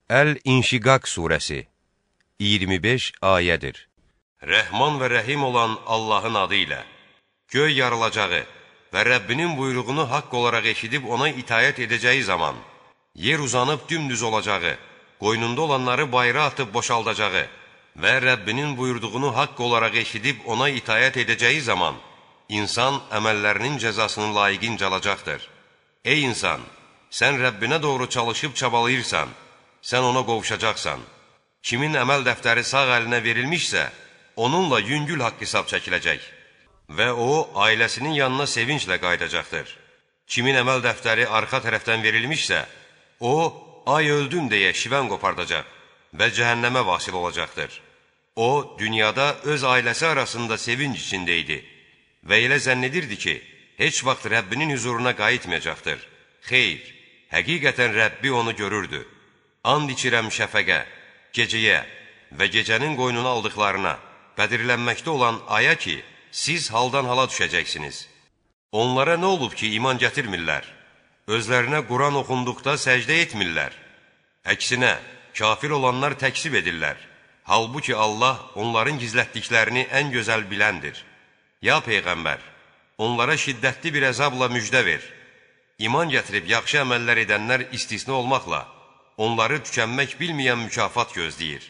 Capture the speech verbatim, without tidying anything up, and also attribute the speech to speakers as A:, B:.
A: Əl-İnşiqaq surəsi iyirmi beş ayədir. Rəhman və rəhim olan Allahın adı ilə göy yarılacağı və Rəbbinin buyruğunu haqq olaraq eşidib ona itayət edəcəyi zaman, yer uzanıb dümdüz olacağı, qoynunda olanları bayra atıb boşaldacağı və Rəbbinin buyurduğunu haqq olaraq eşidib ona itayət edəcəyi zaman, insan əməllərinin cəzasını layiqincə alacaqdır. Ey insan, sən Rəbbinə doğru çalışıb çabalayırsan, sən ona qovuşacaqsan. Kimin əməl dəftəri sağ əlinə verilmişsə, onunla yüngül haqq hesab çəkiləcək və o, ailəsinin yanına sevinclə qaydacaqdır. Kimin əməl dəftəri arxa tərəfdən verilmişsə, o, ay öldüm deyə şivən qopardacaq və cəhənnəmə vasil olacaqdır. O, dünyada öz ailəsi arasında sevinc içində idi və elə zənn edirdi ki, heç vaxt Rəbbinin huzuruna qayıtmayacaqdır. Xeyr, həqiqətən Rəbbi onu görürdü. And içirəm şəfəqə, gecəyə və gecənin qoynuna aldıqlarına, bədirlənməkdə olan aya ki, siz haldan hala düşəcəksiniz. Onlara nə olub ki, iman gətirmirlər? Özlərinə Quran oxunduqda səcdə etmirlər. Əksinə, kafir olanlar təksib edirlər. Halbuki Allah onların gizlətdiklərini ən gözəl biləndir. Ya Peyğəmbər, onlara şiddətli bir əzabla müjdə ver. İman gətirib yaxşı əməllər edənlər istisna olmaqla, onları tükənmək bilməyən mükafat gözləyir.